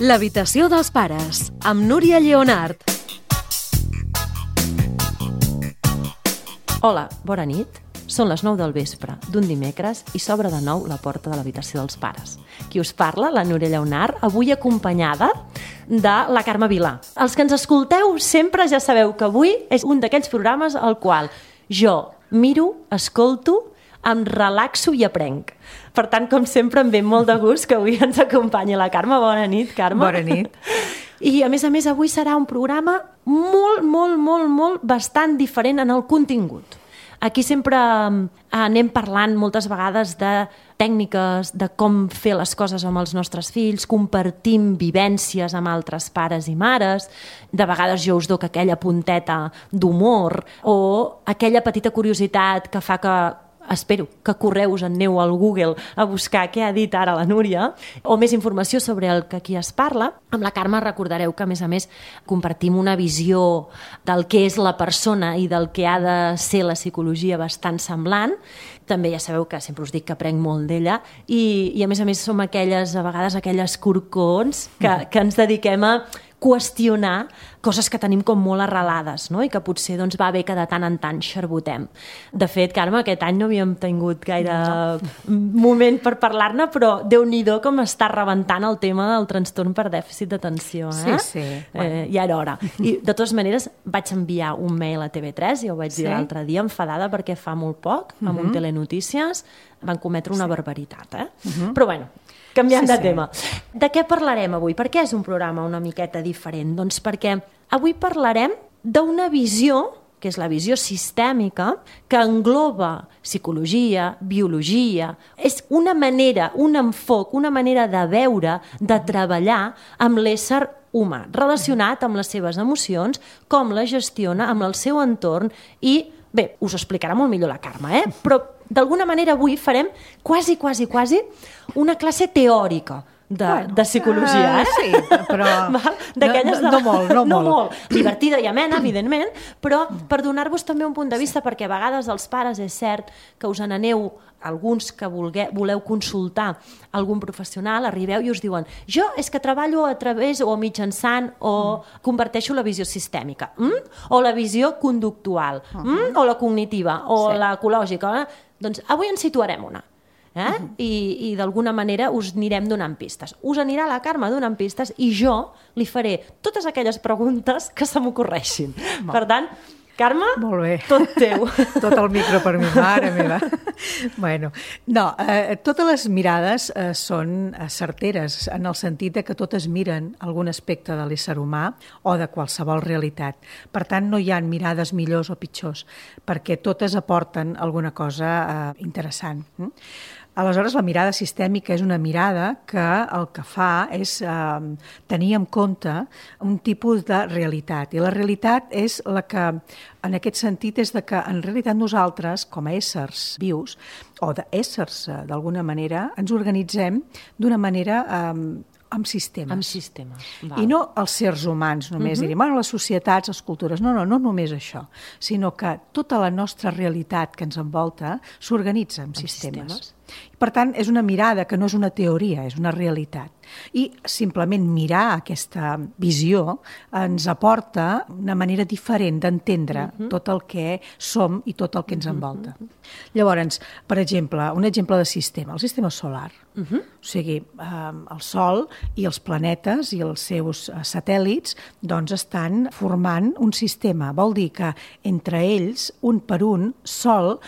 L'habitació dels pares, amb Núria Lleonart. Hola, bona nit. Són les 9 del vespre d'un dimecres i s'obre de nou la porta de l'habitació dels pares. Qui us parla, la Núria Lleonart, avui acompanyada de la Carme Vilà. Els que ens escolteu sempre ja sabeu que avui és un d'aquells programes al qual jo miro, escolto, em relaxo i aprenc. Per tant, com sempre, em ve molt de gust que avui ens acompanyi la Carme. Bona nit, Carme. Bona nit. I, a més, avui serà un programa molt bastant diferent en el contingut. Aquí sempre anem parlant moltes vegades de tècniques, de com fer les coses amb els nostres fills, compartim vivències amb altres pares i mares, de vegades jo us doc aquella punteta d'humor o aquella petita curiositat que fa que espero que correu, us en aneu al Google a buscar què ha dit ara la Núria, o més informació sobre el que aquí es parla. Amb la Carme recordareu que, a més, compartim una visió del que és la persona i del que ha de ser la psicologia bastant semblant. També ja sabeu que sempre us dic que aprenc molt d'ella i a més, som aquelles, a vegades, aquelles corcons que ens dediquem a qüestionar coses que tenim com molt arrelades, no? I que potser va bé que de tant en tant xerbotem. De fet, Carme, aquest any no havíem tingut gaire moment per parlar-ne, però Déu-n'hi-do com està rebentant el tema del trastorn per dèficit d'atenció. Sí. Ja era hora. I, de totes maneres, vaig enviar un mail a TV3, ja ho vaig dir l'altre dia, enfadada perquè fa molt poc, amb un Telenotícies, van cometre una barbaritat. Però bueno, canviant de tema. De què parlarem avui? Per què és un programa una miqueta diferent? Doncs perquè avui parlarem d'una visió, que és la visió sistèmica, que engloba psicologia, biologia. És una manera, un enfoc, una manera de veure, de treballar amb l'ésser humà, relacionat amb les seves emocions, com la gestiona amb el seu entorn i, bé, us ho explicarà molt millor la Carme, però d'alguna manera avui farem quasi una classe teòrica de psicologia, Sí, però no molt. Divertida i amena, evidentment, però per donar-vos també un punt de vista, perquè a vegades els pares és cert que us n'aneu, alguns que voleu consultar algun professional, arribeu i us diuen jo és que treballo a través o mitjançant o comparteixo la visió sistèmica, o la visió conductual, o la cognitiva, o la ecològica. Doncs avui en situarem una. I d'alguna manera us anirem donant pistes. Us anirà la Carme donant pistes i jo li faré totes aquelles preguntes que se m'ocorreixin. Per tant, Carme, tot teu. Tot el micro per mi, mare meva. Bueno, no, totes les mirades són certeres en el sentit que totes miren algun aspecte de l'ésser humà o de qualsevol realitat. Per tant, no hi ha mirades millors o pitjors, perquè totes aporten alguna cosa interessant. Aleshores, la mirada sistèmica és una mirada que el que fa és tenir en compte un tipus de realitat. I la realitat és la que, en aquest sentit, és que en realitat nosaltres, com a éssers vius, o d'éssers d'alguna manera, ens organitzem d'una manera amb sistemes. Amb sistema. I no els sers humans només, diríem, les societats, les cultures, no només això, sinó que tota la nostra realitat que ens envolta s'organitza amb sistemes. Per tant, és una mirada que no és una teoria, és una realitat. I simplement mirar aquesta visió ens aporta una manera diferent d'entendre tot el que som i tot el que ens envolta. Llavors, per exemple, un exemple de sistema, el sistema solar. O sigui, el Sol i els planetes i els seus satèl·lits doncs estan formant un sistema. Vol dir que entre ells, un per un, sol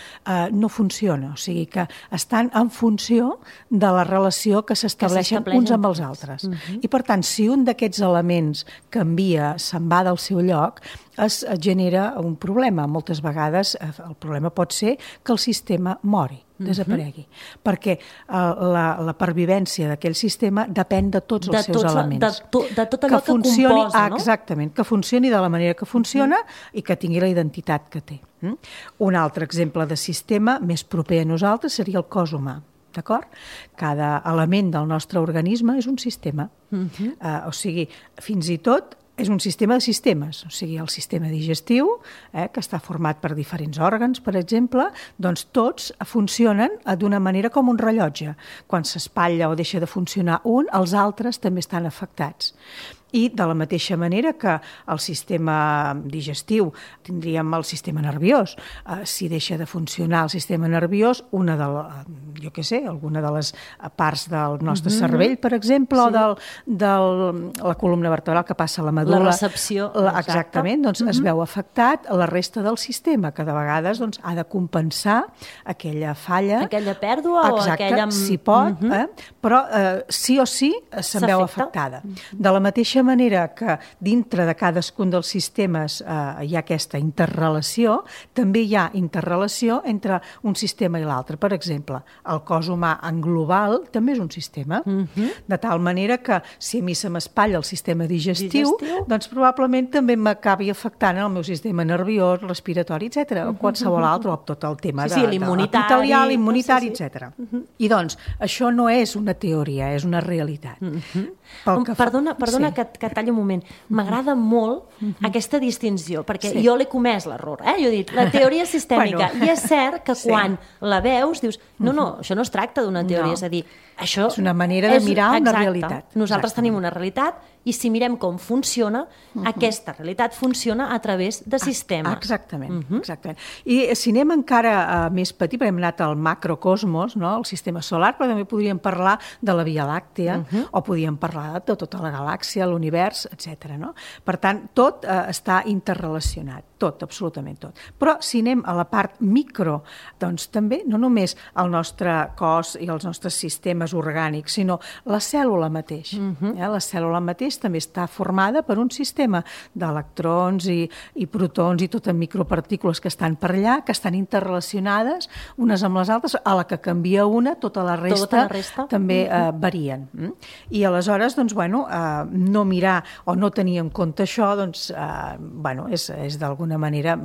no funciona. O sigui que estan en funció de la relació que s'estableixen uns amb els altres. I per tant, si un d'aquests elements canvia, se'n va del seu lloc, es genera un problema. Moltes vegades el problema pot ser que el sistema mori, desaparegui, perquè la pervivència d'aquell sistema depèn de tots els seus elements. De tot allò que composa, no? Exactament, que funcioni de la manera que funciona i que tingui la identitat que té. Un altre exemple de sistema més proper a nosaltres seria el cos humà. D'acord? Cada element del nostre organisme és un sistema. O sigui, fins i tot És un sistema de sistemes, o sigui, el sistema digestiu, que està format per diferents òrgans, per exemple, doncs tots funcionen d'una manera com un rellotge. Quan s'espatlla o deixa de funcionar un, els altres també estan afectats. I de la mateixa manera que el sistema digestiu tindríem el sistema nerviós. Si deixa de funcionar el sistema nerviós, alguna de les parts del nostre cervell, per exemple, o de la columna vertebral que passa a la medul·la. La recepció. Exactament, doncs es veu afectat la resta del sistema, que de vegades doncs, ha de compensar aquella falla. Aquella pèrdua o aquella... Exacte, si pot, però sí o sí se'n veu afectada. De la mateixa manera que dintre de cadascun dels sistemes hi ha aquesta interrelació, també hi ha interrelació entre un sistema i l'altre. Per exemple, el cos humà en global també és un sistema, de tal manera que si a mi se m'espatlla el sistema digestiu, doncs probablement també m'acabi afectant el meu sistema nerviós, respiratori, etc. O qualsevol altre, o tot el tema de l'immunitari, etc. I doncs, això no és una teoria, és una realitat. Perdona que talli un moment. M'agrada molt aquesta distinció, perquè jo l'he comès l'error. Jo he dit, la teoria sistèmica. I és cert que quan la veus dius, no, això no es tracta d'una teoria, és a dir, això és una manera de mirar una realitat. Nosaltres tenim una realitat i si mirem com funciona, aquesta realitat funciona a través de sistemes. Exactament. I si anem encara més petit, perquè hem anat al macrocosmos, el sistema solar, però també podríem parlar de la Via Làctea o podríem parlar de tota la galàxia, l'univers, etc. Per tant, tot està interrelacionat, tot, absolutament tot. Però si anem a la part micro, doncs també, no només el nostre cos i els nostres sistemes orgànics, sinó la cèl·lula mateix. La cèl·lula mateix també està formada per un sistema d'electrons i protons i totes micropartícules que estan per allà, que estan interrelacionades unes amb les altres, a la que canvia una, tota la resta també varien. I aleshores, doncs, no mirar o no tenir en compte això, doncs, és d'alguna manera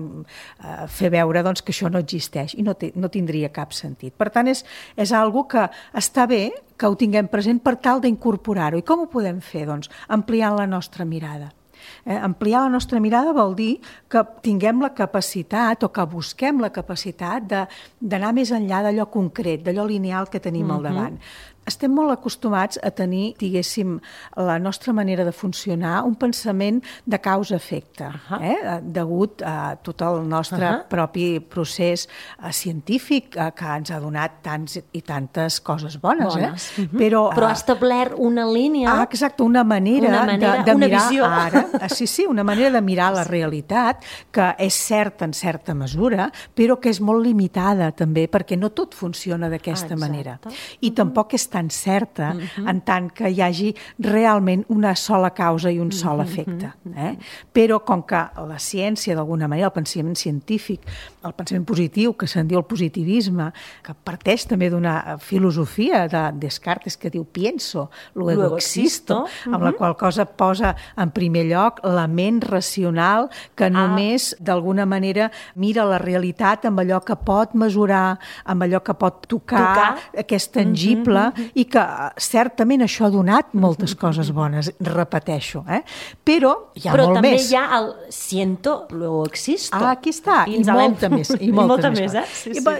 fer veure que això no existeix i no tindria cap sentit. Per tant, és algo que està bé que ho tinguem present per tal d'incorporar-ho. I com ho podem fer? Doncs ampliant la nostra mirada. Ampliar la nostra mirada vol dir que tinguem la capacitat o que busquem la capacitat d'anar més enllà d'allò concret, d'allò lineal que tenim al davant. Estem molt acostumats a tenir, diguéssim, la nostra manera de funcionar, un pensament de causa-efecte, degut a tot el nostre propi procés científic que ens ha donat tants i tantes coses bones. Però ha establert una línia... Exacte, una manera de mirar ara. Sí, una manera de mirar la realitat que és certa en certa mesura, però que és molt limitada també, perquè no tot funciona d'aquesta manera. I tampoc és tan certa en tant que hi hagi realment una sola causa i un sol efecte. Però com que la ciència, d'alguna manera, el pensament científic, el pensament positiu, que se'n diu el positivisme, que parteix també d'una filosofia de Descartes que diu pienso, luego existo, amb la qual cosa posa en primer lloc la ment racional que només, d'alguna manera, mira la realitat amb allò que pot mesurar, amb allò que pot tocar, que és tangible, i que certament això ha donat moltes coses bones, repeteixo. Però hi ha molt més. Però també hi ha el siento, luego existo. Aquí està, i molta més. I molta més.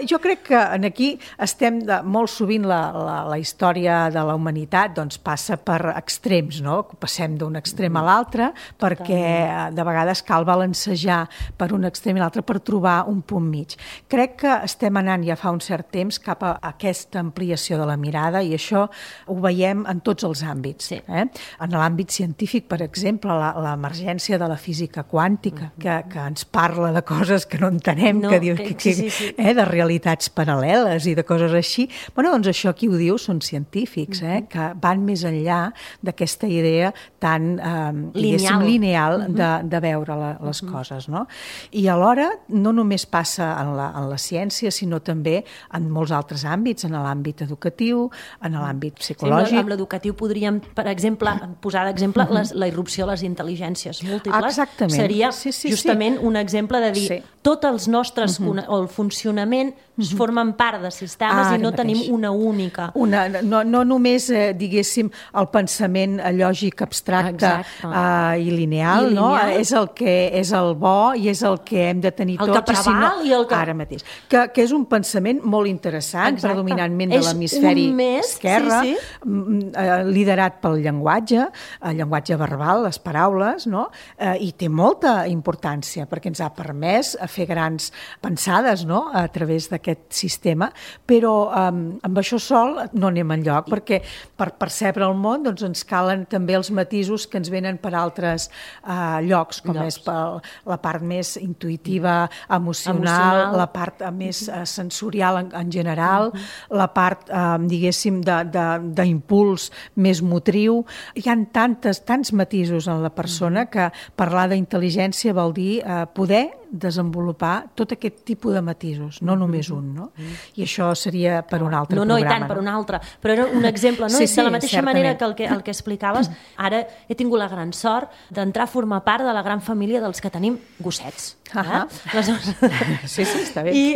Jo crec que aquí estem, molt sovint la història de la humanitat passa per extrems, passem d'un extrem a l'altre, perquè de vegades cal balancejar per un extrem i l'altre per trobar un punt mig. Crec que estem anant ja fa un cert temps cap a aquesta ampliació de la mirada i això ho veiem en tots els àmbits. En l'àmbit científic, per exemple, l'emergència de la física quàntica, que ens parla de coses que no entenem, de realitats paral·leles i de coses així. Doncs això qui ho diu són científics, que van més enllà d'aquesta idea tan lineal de veure les coses. I alhora no només passa en la ciència, sinó també en molts altres àmbits, en l'àmbit educatiu, en l'àmbit psicològic. Amb l'educatiu podríem, per exemple, posar d'exemple la irrupció de les intel·ligències múltiples. Exactament. Seria justament un exemple de dir tots els nostres, o el funcionament formen part de sistemes i no tenim una única. No només, diguéssim, el pensament lògic abstracte i lineal, no? És el que és el bo i és el que hem de tenir tots. El que preval i el que... Ara mateix. Que és un pensament molt interessant, predominantment de l'hemisferi esquerre, liderat pel llenguatge, el llenguatge verbal, les paraules, no? I té molta importància perquè ens ha permès fer grans pensades, no? A través d'aquest sistema, però amb això sol no anem enlloc, perquè per percebre el món ens calen també els matisos que ens venen per altres llocs, com és la part més intuïtiva, emocional, la part més sensorial en general, la part, diguéssim, d'impuls més motriu. Hi ha tants matisos en la persona que parlar d'intel·ligència vol dir poder desenvolupar tot aquest tipus de matisos, no només un, no? I això seria per un altre programa. No, i tant, per un altre. Però era un exemple, no? De la mateixa manera que el que explicaves, ara he tingut la gran sort d'entrar a formar part de la gran família dels que tenim gossets. Sí, està bé. I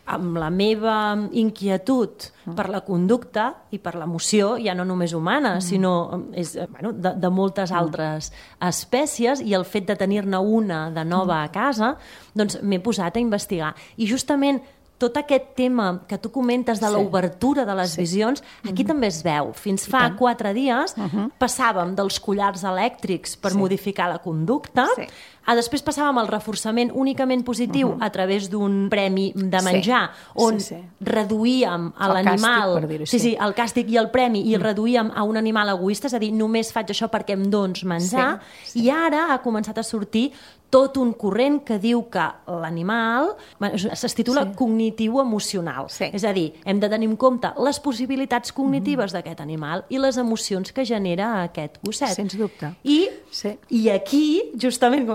amb la meva inquietud per la conducta i per l'emoció, ja no només humana, sinó de moltes altres espècies, i el fet de tenir-ne una de nova a casa, doncs m'he posat a investigar. I justament tot aquest tema que tu comentes de l'obertura de les visions, aquí també es veu. Fins fa 4 dies passàvem dels collars elèctrics per modificar la conducta, després passàvem al reforçament únicament positiu a través d'un premi de menjar, on reduïem a l'animal, el càstig i el premi, i el reduïem a un animal egoista, és a dir, només faig això perquè em dones menjar, i ara ha començat a sortir tot un corrent que diu que l'animal es titula cognitiu-emocional. És a dir, hem de tenir en compte les possibilitats cognitives d'aquest animal i les emocions que genera aquest gosset. Sens dubte. I aquí, justament,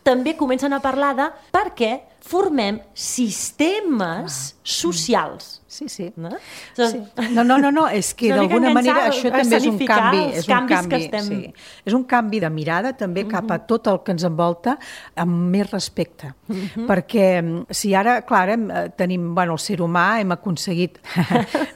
també comencen a parlar de per què formem sistemes socials. Sí. No, és que d'alguna manera això també és un canvi. És un canvi de mirada també cap a tot el que ens envolta amb més respecte. Perquè si ara, clar, tenim, el ser humà hem aconseguit,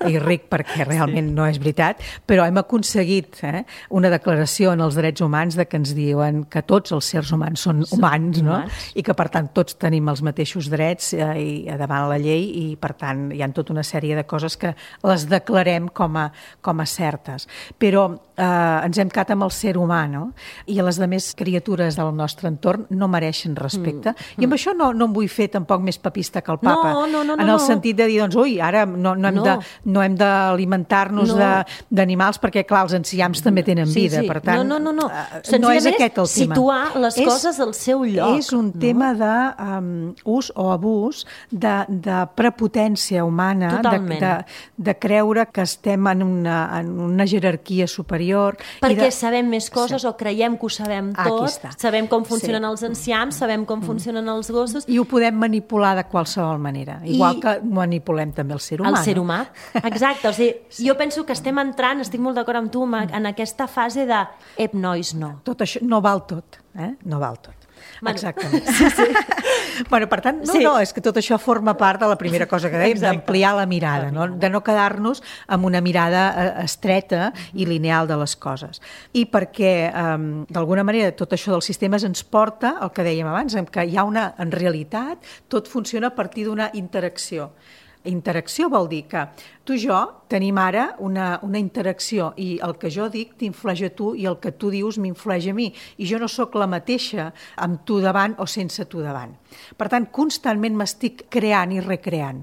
i ric perquè realment no és veritat, però hem aconseguit una declaració en els drets humans de que ens diuen que tots els sers humans són humans, no? I que per tant tots tenim els mateixos drets davant la llei, i per tant hi ha tota una sèrie de coses que les declarem com a certes. Però ens hem quedat amb el ser humà, no? I les altres criatures del nostre entorn no mereixen respecte. I amb això no em vull fer tampoc més papista que el papa, en el sentit de dir, ara no hem d'alimentar-nos d'animals perquè, clar, els enciams també tenen vida. Per tant, no és aquest el tema. Situar les coses al seu lloc. És un tema d'ús o abús de prepotència humana, de creure que estem en una jerarquia superior. Perquè sabem més coses o creiem que ho sabem tot, sabem com funcionen els enciams, sabem com funcionen els gossos. I ho podem manipular de qualsevol manera, igual que manipulem també el ser humà. El ser humà, exacte. O sigui, jo penso que estem entrant, estic molt d'acord amb tu, en aquesta fase de ep, nois, no. Tot això no val tot, no val tot. Exactament. Per tant, és que tot això forma part de la primera cosa que dèiem, d'ampliar la mirada, de no quedar-nos amb una mirada estreta i lineal de les coses. I perquè, d'alguna manera, tot això dels sistemes ens porta al que dèiem abans, que hi ha en realitat, tot funciona a partir d'una interacció. Interacció vol dir que tu i jo tenim ara una interacció, i el que jo dic t'influeix a tu i el que tu dius m'influeix a mi, i jo no sóc la mateixa amb tu davant o sense tu davant. Per tant, constantment m'estic creant i recreant,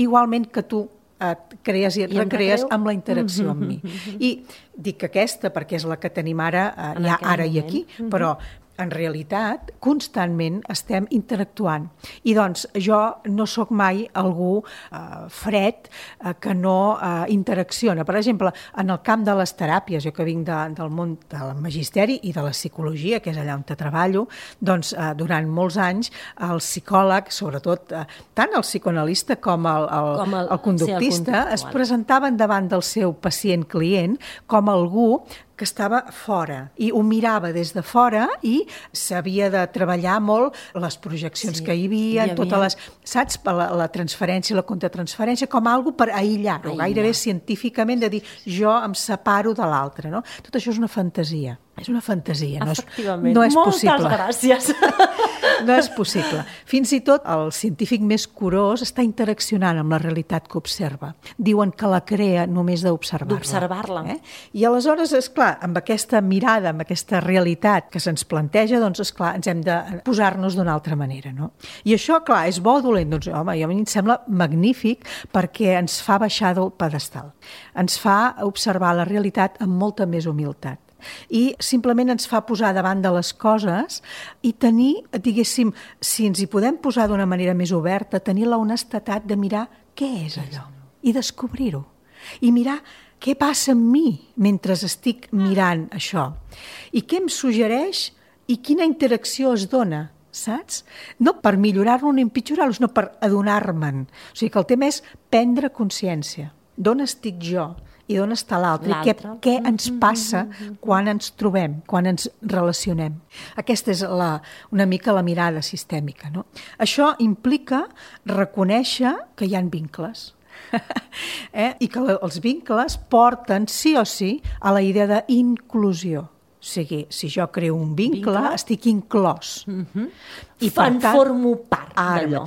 igualment que tu et crees i et recrees amb la interacció amb mi. I dic aquesta perquè és la que tenim ara i aquí, però en realitat, constantment estem interactuant. I doncs jo no sóc mai algú fred que no interacciona. Per exemple, en el camp de les teràpies, jo que vinc del món del magisteri i de la psicologia, que és allà on treballo, doncs durant molts anys el psicòleg, sobretot tant el psicoanalista com el conductista, es presentaven davant del seu pacient-client com algú que estava fora i ho mirava des de fora i s'havia de treballar molt les projeccions que hi havia, totes les, saps, la transferència, la contratransferència, com algo per aïllar-ho, gairebé científicament, de dir jo em separo de l'altre, no? Tot això és una fantasia. És una fantasia, no és possible. Moltes gràcies. No és possible. Fins i tot el científic més curós està interaccionant amb la realitat que observa. Diuen que la crea només d'observar-la. D'observar-la. I aleshores, esclar, amb aquesta mirada, amb aquesta realitat que se'ns planteja, doncs, esclar, ens hem de posar-nos d'una altra manera, no? I això, clar, és bo o dolent? Doncs, home, a mi em sembla magnífic perquè ens fa baixar del pedestal. Ens fa observar la realitat amb molta més humilitat. I simplement ens fa posar davant de les coses i tenir, diguéssim, si ens hi podem posar d'una manera més oberta, tenir la honestedat de mirar què és allò i descobrir-ho. I mirar què passa amb mi mentre estic mirant això. I què em suggereix i quina interacció es dona, saps? No per millorar-lo ni empitjorar-lo, sinó per adonar-me'n. O sigui que el tema és prendre consciència. D'on estic jo? I d'on està l'altre, i què ens passa quan ens trobem, quan ens relacionem. Aquesta és una mica la mirada sistèmica, no? Això implica reconèixer que hi ha vincles. I que els vincles porten sí o sí a la idea d'inclusió. O sigui, si jo creo un vincle, estic inclòs. I per tant, formo part d'allò.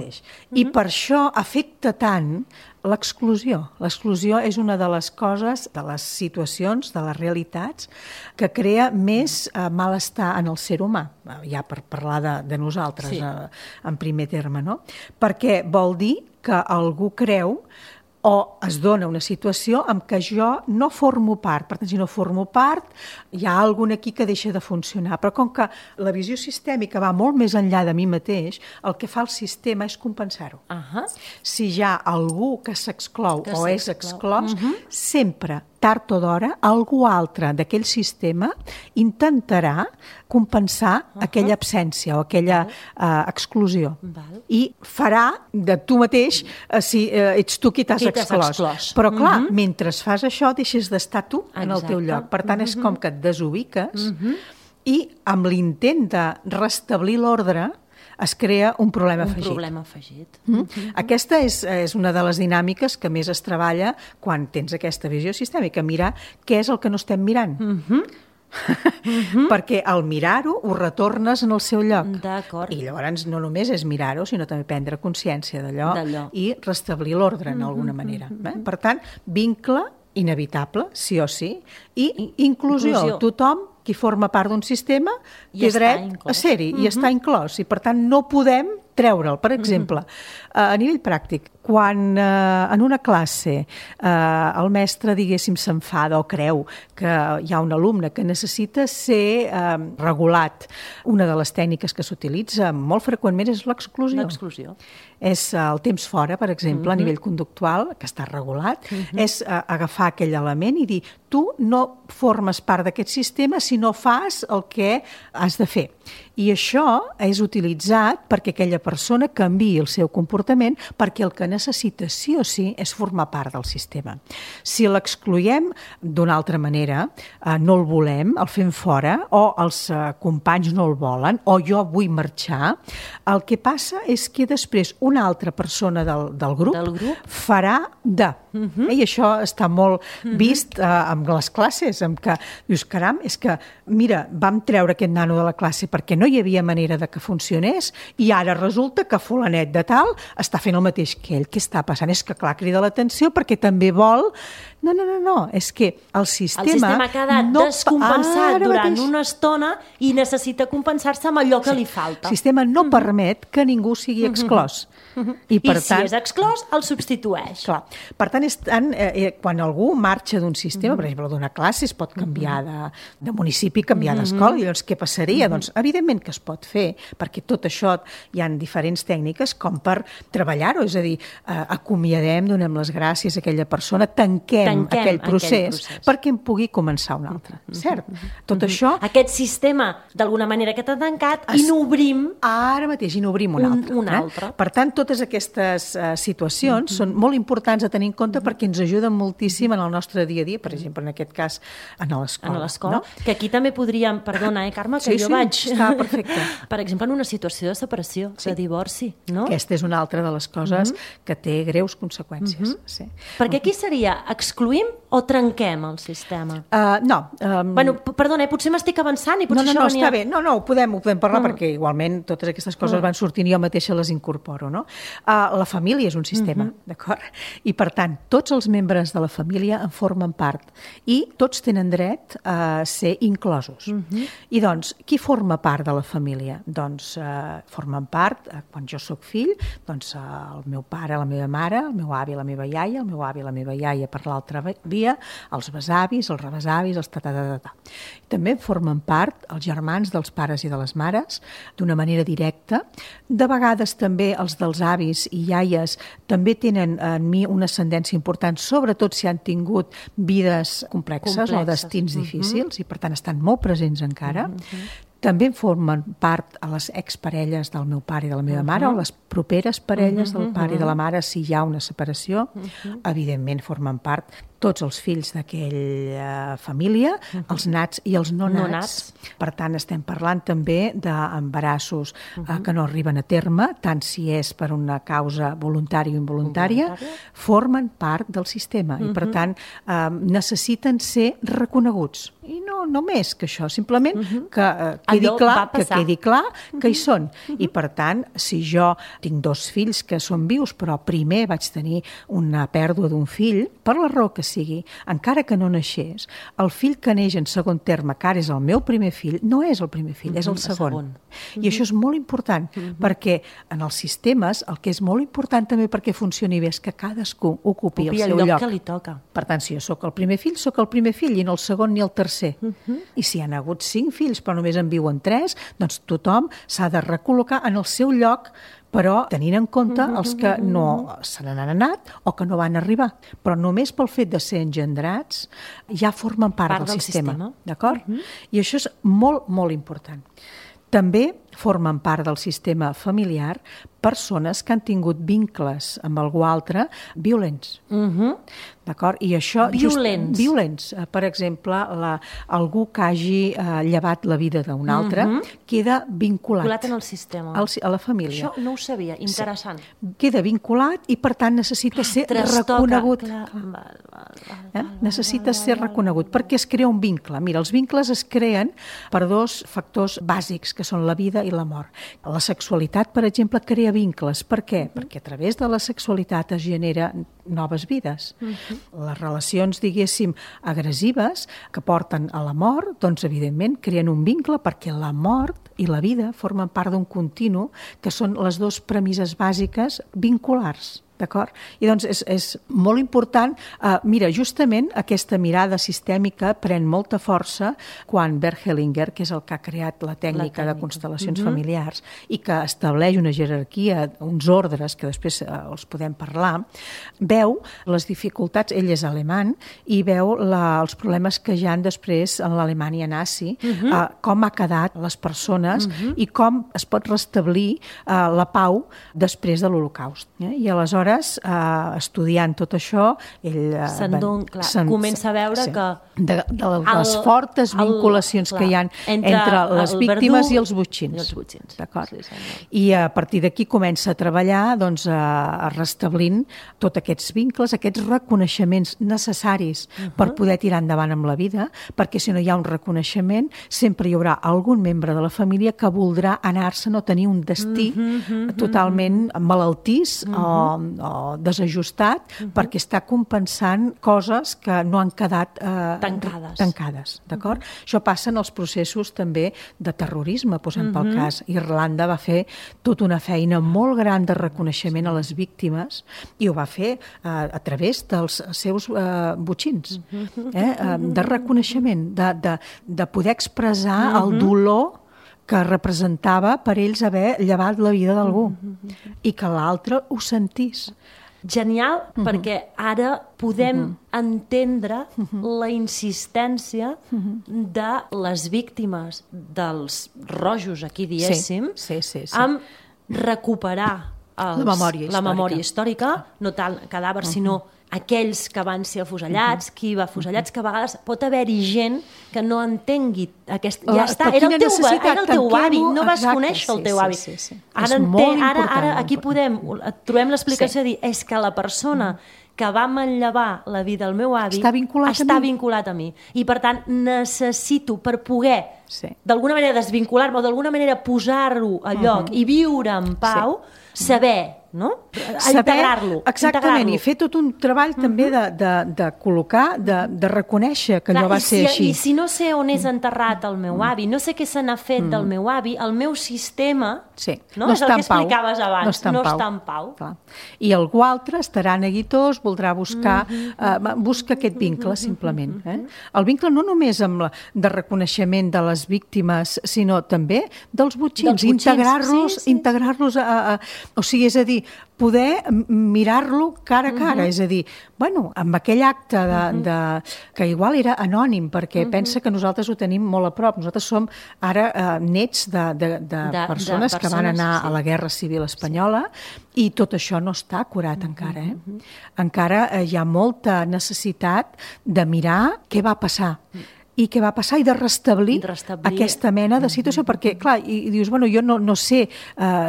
I per això afecta tant l'exclusió. L'exclusió és una de les coses, de les situacions, de les realitats, que crea més malestar en el ser humà, ja per parlar de nosaltres en primer terme, no? Perquè vol dir que algú creu o es dona una situació en què jo no formo part. Per tant, si no formo part, hi ha alguna aquí que deixa de funcionar. Però com que la visió sistèmica va molt més enllà de mi mateix, el que fa el sistema és compensar-ho. Si hi ha algú que s'exclou o és exclòs, sempre, tard o d'hora, algú altre d'aquell sistema intentarà compensar aquella absència o aquella exclusió. I farà de tu mateix si ets tu qui t'has exclòs. Però clar, mentre fas això deixes d'estar tu en el teu lloc. Per tant, és com que et desubiques i amb l'intent de restablir l'ordre es crea un problema afegit. Aquesta és una de les dinàmiques que més es treballa quan tens aquesta visió sistèmica, mirar què és el que no estem mirant. Perquè al mirar-ho ho retornes en el seu lloc. I llavors no només és mirar-ho, sinó també prendre consciència d'allò i restablir l'ordre d'alguna manera. Per tant, vincle inevitable, sí o sí, i inclusió. Tothom qui forma part d'un sistema té dret a ser-hi i està inclòs. I per tant no podem treure'l. Per exemple, a nivell pràctic, quan en una classe el mestre, diguéssim, s'enfada o creu que hi ha un alumne que necessita ser regulat, una de les tècniques que s'utilitza molt freqüentment és l'exclusió. És el temps fora, per exemple, a nivell conductual, que està regulat, és agafar aquell element i dir tu no formes part d'aquest sistema si no fas el que has de fer. I això és utilitzat perquè aquella persona canviï el seu comportament perquè el que necessita sí o sí és formar part del sistema. Si l'excloem d'una altra manera, no el volem, el fem fora, o els companys no el volen, o jo vull marxar, el que passa és que després una altra persona del grup farà de. I això està molt vist amb les classes, amb que dius, caram, és que, mira, vam treure aquest nano de la classe perquè no hi havia manera de que funcionés i ara resulta que fulanet de tal està fent el mateix que ell. Què està passant? És que clar, crida l'atenció perquè també vol... No, és que el sistema ha quedat descompensat durant una estona i necessita compensar-se amb allò que li falta. El sistema no permet que ningú sigui exclòs. I si és exclòs, el substitueix. Clar. Per tant, quan algú marxa d'un sistema, per exemple, d'una classe, es pot canviar de municipi, canviar d'escola, i llavors què passaria? Doncs, evidentment que es pot fer, perquè tot això hi ha diferents tècniques com per treballar-ho, és a dir, acomiadem, donem les gràcies a aquella persona, tanquem aquell procés perquè en pugui començar un altre, cert? Tot això... Aquest sistema, d'alguna manera, que t'ha tancat, i n'obrim... Ara mateix, i n'obrim un altre. Per tant, totes aquestes situacions són molt importants a tenir en compte perquè ens ajuden moltíssim en el nostre dia a dia, per exemple, en aquest cas, a l'escola. Que aquí també podríem, perdona, Carme, que jo vaig... Està perfecte. Per exemple, en una situació de separació, de divorci, no? Aquesta és una altra de les coses que té greus conseqüències. Perquè aquí seria, excluïm o trenquem el sistema? No. Bueno, perdona, potser m'estic avançant i potser això venia... Està bé. No, ho podem parlar perquè igualment totes aquestes coses van sortint i jo mateixa les incorporo, no? La família és un sistema, d'acord? I, per tant, tots els membres de la família en formen part i tots tenen dret a ser inclosos. I, doncs, qui forma part de la família? Doncs formen part, quan jo sóc fill, doncs el meu pare, la meva mare, el meu avi, la meva iaia, el meu avi, la meva iaia per l'altra via, els besavis, els rebesavis, els ta-ta-ta-ta. També formen part els germans dels pares i de les mares d'una manera directa. De vegades també els dels avis i iaies també tenen en mi una ascendència important, sobretot si han tingut vides complexes o destins difícils i per tant estan molt presents encara. També formen part a les exparelles del meu pare i de la meva mare o les properes parelles del pare i de la mare si hi ha una separació. Evidentment formen part tots els fills d'aquella família, els nats i els no nats. Per tant, estem parlant també d'embarassos que no arriben a terme, tant si és per una causa voluntària o involuntària, formen part del sistema i, per tant, necessiten ser reconeguts. I no més que això, simplement que quedi clar que hi són. I, per tant, si jo tinc 2 fills que són vius, però primer vaig tenir una pèrdua d'un fill, per la raó que sigui, encara que no naixés, el fill que neix en segon terme, que ara és el meu primer fill, no és el primer fill, és el segon. I això és molt important, perquè en els sistemes el que és molt important també perquè funcioni bé és que cadascú ocupi el seu lloc que li toca. Per tant, si jo sóc el primer fill, sóc el primer fill, i no el segon ni el tercer. I si hi ha hagut 5 fills, però només en viuen 3, doncs tothom s'ha de recol·locar en el seu lloc, però tenint en compte els que no se n'han anat o que no van arribar. Però només pel fet de ser engendrats ja formen part del sistema. D'acord? I això és molt, molt important. També formen part del sistema familiar persones que han tingut vincles amb algú altre violents. D'acord? I això... Violents. Violents. Per exemple, algú que hagi llevat la vida d'un altre queda vinculat. Vinculat en el sistema. A la família. Això no ho sabia. Interessant. Sí. Queda vinculat i, per tant, necessita ser reconegut. Necessita ser reconegut perquè es crea un vincle. Mira, els vincles es creen per 2 factors bàsics, que són la vida i la mort. La sexualitat, per exemple, crea vincles. Per què? Perquè a través de la sexualitat es genera noves vides. Les relacions, diguéssim, agressives que porten a la mort, doncs, evidentment, creen un vincle perquè la mort i la vida formen part d'un continu que són les 2 premisses bàsiques vinculars. D'acord? I doncs és molt important. Mira, justament aquesta mirada sistèmica pren molta força quan Bert Hellinger, que és el que ha creat la tècnica de constel·lacions familiars i que estableix una jerarquia, uns ordres, que després els podem parlar, veu les dificultats, ell és alemany, i veu els problemes que hi ha després en l'Alemanya nazi, com ha quedat les persones i com es pot restablir la pau després de l'Holocaust. I aleshores, estudiant tot això, ell comença a veure que de les fortes vinculacions que hi ha entre les víctimes i els botxins. I a partir d'aquí comença a treballar restablint tots aquests vincles, aquests reconeixements necessaris per poder tirar endavant amb la vida, perquè si no hi ha un reconeixement sempre hi haurà algun membre de la família que voldrà anar-se'n o tenir un destí totalment malaltís o desajustat perquè està compensant coses que no han quedat tancades, d'acord? Això passa en els processos també de terrorisme, posem pel cas. Irlanda va fer tota una feina molt gran de reconeixement a les víctimes i ho va fer a través dels seus botxins, de reconeixement, de poder expressar el dolor que representava per ells haver llevat la vida d'algú i que l'altre ho sentís. Genial, perquè ara podem entendre la insistència de les víctimes dels rojos, aquí diéssim, en recuperar la memòria històrica, no tant cadàvers, sinó aquells que van ser afusellats, qui va afusellats, que a vegades pot haver-hi gent que no entengui ja està, era el teu avi, no vas conèixer el teu avi. Ara aquí trobem l'explicació de dir, és que la persona que va manllevar la vida del meu avi està vinculat a mi. I per tant necessito, per poder d'alguna manera desvincular-me o d'alguna manera posar-ho a lloc i viure en pau, saber, no? Integrar-lo. Exactament, i fer tot un treball també de col·locar, de reconèixer que allò va ser així. I si no sé on és enterrat el meu avi, no sé què se n'ha fet del meu avi, el meu sistema, no és el que explicaves abans, no està en pau. I algú altre estarà neguitós, voldrà buscar aquest vincle, simplement. El vincle no només de reconeixement de les víctimes, sinó també dels botxins, integrar-los, o sigui, és a dir, poder mirar-lo cara a cara, és a dir, bueno, amb aquell acte que igual era anònim, perquè pensa que nosaltres ho tenim molt a prop. Nosaltres som ara nets de persones que van anar a la Guerra Civil Espanyola i tot això no està curat encara. Encara hi ha molta necessitat de mirar què va passar i què va passar i de restablir aquesta mena de situació, perquè, clar, i dius, bueno, jo no sé,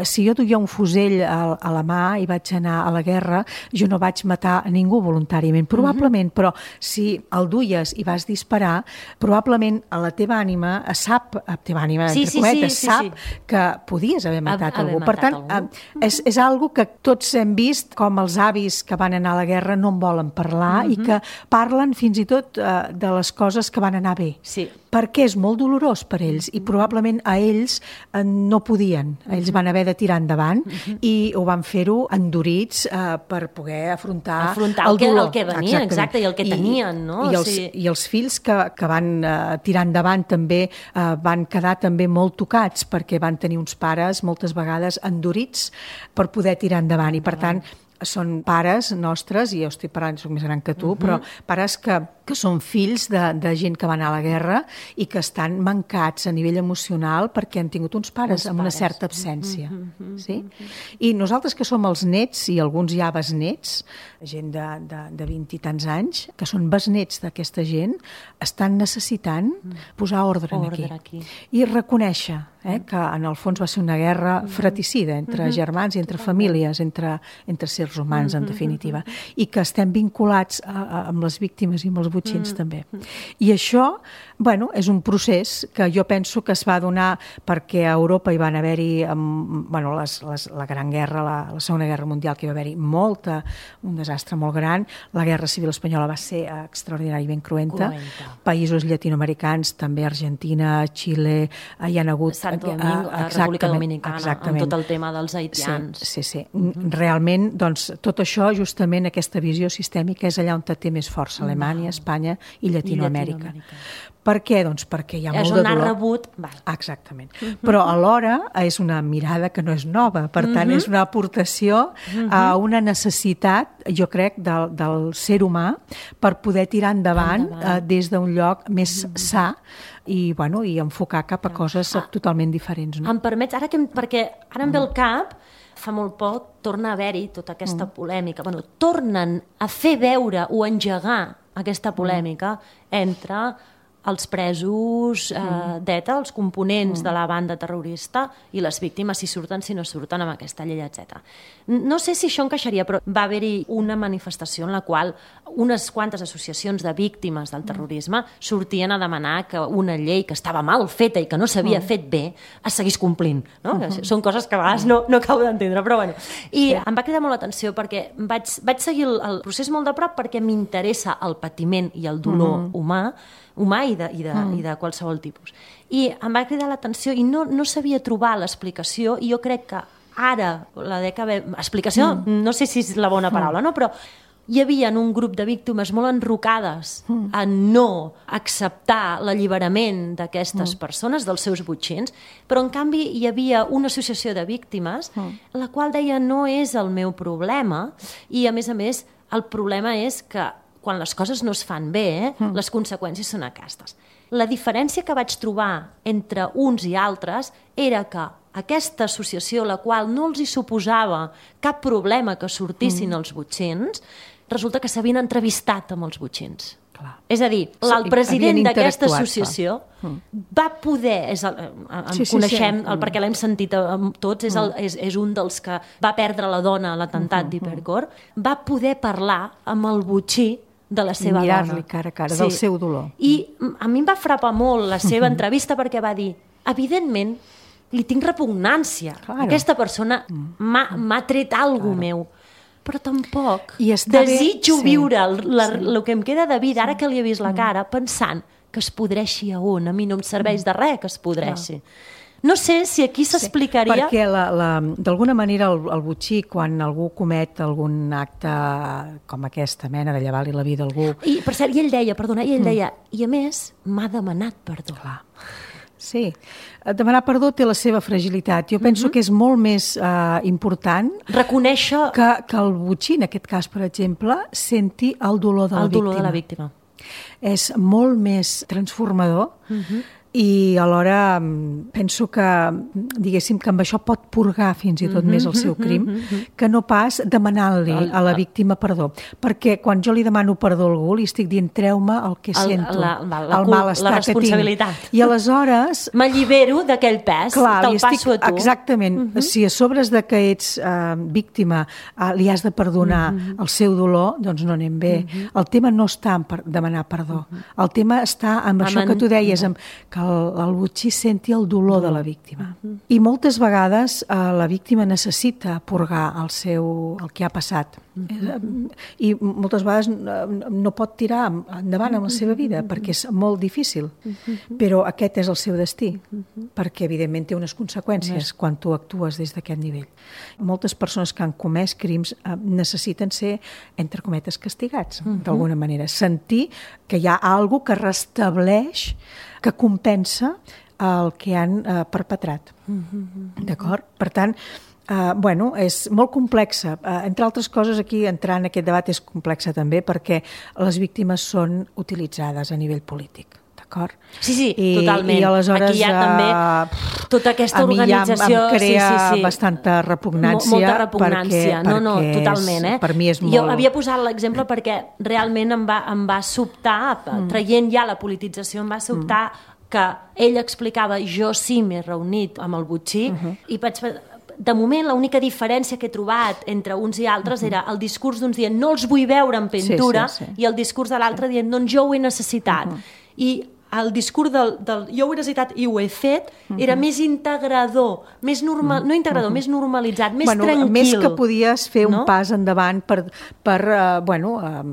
si jo duia un fusell a la mà i vaig anar a la guerra, jo no vaig matar a ningú voluntàriament, probablement, però si el duies i vas disparar, probablement a la teva ànima sap, entre cometes, sap que podies haver matat algú. Per tant, és algo que tots hem vist, com els avis que van anar a la guerra no en volen parlar i que parlen fins i tot de les coses que van anar bé. Perquè és molt dolorós per ells i probablement a ells no podien. Ells van haver de tirar endavant i ho van fer-ho endurits per poder afrontar el dolor. El que venia, exacte, i el que tenien, no? I els fills que van tirar endavant també van quedar també molt tocats perquè van tenir uns pares moltes vegades endurits per poder tirar endavant i per tant són pares nostres, i jo estic parlant, soc més gran que tu, però pares que són fills de gent que va anar a la guerra i que estan mancats a nivell emocional perquè han tingut uns pares amb una certa absència. I nosaltres que som els nets i alguns ja besnets, gent de 20 i tants anys, que són besnets d'aquesta gent, estan necessitant posar ordre aquí. I reconèixer que en el fons va ser una guerra fratricida entre germans i entre famílies, entre éssers humans, en definitiva, i que estem vinculats amb les víctimes i amb els botxins també. I això, bueno, és un procés que jo penso que es va donar perquè a Europa hi van haver-hi la Gran Guerra, la Segona Guerra Mundial, que hi va haver-hi un desastre molt gran. La Guerra Civil Espanyola va ser extraordinàriament cruenta. Països llatinoamericans, també Argentina, Xile, hi han hagut... Santo Domingo, República Dominicana, amb tot el tema dels haitians. Sí. Realment, doncs, tot això, justament, aquesta visió sistèmica és allà on té més força, Alemanya, Espanya i Llatinoamèrica. Per què? Doncs perquè hi ha molt de dolor. És on ha rebut... Exactament. Però alhora és una mirada que no és nova, per tant és una aportació a una necessitat, jo crec, del ser humà per poder tirar endavant des d'un lloc més sa i enfocar cap a coses totalment diferents. Em permets, perquè ara em ve el cap, fa molt poc torna a haver-hi tota aquesta polèmica. Tornen a fer veure o engegar aquesta polèmica entre els presos d'ETA, els components de la banda terrorista i les víctimes, si surten, si no surten amb aquesta llei, etc. No sé si això encaixaria, però va haver-hi una manifestació en la qual unes quantes associacions de víctimes del terrorisme sortien a demanar que una llei que estava mal feta i que no s'havia fet bé es seguís complint. No? Són coses que a vegades no acabo d'entendre, però bueno. I em va cridar molt l'atenció perquè vaig seguir el procés molt de prop perquè m'interessa el patiment i el dolor humà i de qualsevol tipus. I em va cridar l'atenció i no sabia trobar l'explicació, i jo crec que ara, la dècada... Explicació, no sé si és la bona paraula, no? Però hi havia un grup de víctimes molt enrocades a no acceptar l'alliberament d'aquestes persones, dels seus botxins, però en canvi hi havia una associació de víctimes la qual deia no és el meu problema, i a més, el problema és que quan les coses no es fan bé, les conseqüències són aquestes. La diferència que vaig trobar entre uns i altres era que aquesta associació, la qual no els hi suposava cap problema que sortissin els botxins, resulta que s'havien entrevistat amb els botxins. Clar. És a dir, el president d'aquesta associació va poder, coneixem, perquè l'hem sentit tots, és un dels que va perdre la dona a l'atemptat d'Hipercor, va poder parlar amb el botxí de la seva dona. Mirar-li cara a cara, del seu dolor. I a mi em va frapar molt la seva entrevista perquè va dir, evidentment, li tinc repugnància. Aquesta persona m'ha tret alguna cosa meu. Però tampoc desitjo viure el que em queda de vida, ara que li he vist la cara, pensant que es podreixi a un. A mi no em serveix de res que es podreixi. No sé si aquí s'explicaria... Perquè d'alguna manera el botxí, quan algú comet algun acte com aquesta mena de llevar-li la vida a algú... I per cert, ell deia, i a més m'ha demanat perdó. Clar. Sí, demanar perdó té la seva fragilitat. Jo penso que és molt més important reconèixer que el botxí, en aquest cas, per exemple, senti el dolor de la víctima. És molt més transformador i alhora penso que, diguéssim, que amb això pot purgar fins i tot més el seu crim, que no pas demanant-li a la víctima perdó. Perquè quan jo li demano perdó a algú, li estic dient treu-me el que sento, el malestar que tinc. I aleshores... m'allibero d'aquell pes, te'l passo a tu. Exactament. Si a sobres de que ets víctima li has de perdonar el seu dolor, doncs no anem bé. El tema no està en demanar perdó. El tema està en això que tu deies, que el botxí senti el dolor de la víctima. I moltes vegades la víctima necessita purgar el que ha passat. I moltes vegades no pot tirar endavant amb la seva vida perquè és molt difícil. Però aquest és el seu destí, perquè evidentment té unes conseqüències quan tu actues des d'aquest nivell. Moltes persones que han comès crims necessiten ser, entre cometes, castigats, d'alguna manera. Sentir que hi ha alguna cosa que restableix, que compensa el que han perpetrat. D'acord? Per tant, és molt complexa. Entre altres coses, aquí entrar en aquest debat és complexa també perquè les víctimes són utilitzades a nivell polític. D'acord? Sí, totalment. I aleshores aquí hi ha també tota aquesta organització... A mi ja em crea bastanta repugnància. Molta repugnància. Totalment. Per mi és molt... Jo havia posat l'exemple perquè realment em va sobtar, traient ja la politització, em va sobtar que ell explicava jo sí m'he reunit amb el botxí i vaig... De moment, l'única diferència que he trobat entre uns i altres era el discurs d'uns dient no els vull veure en pintura i el discurs de l'altre dient doncs jo ho he necessitat. I el discurs del jo ho he necessitat i ho he fet era més integrador, més normal, no integrador, més normalitzat, més tranquil. Més que podies fer un pas endavant per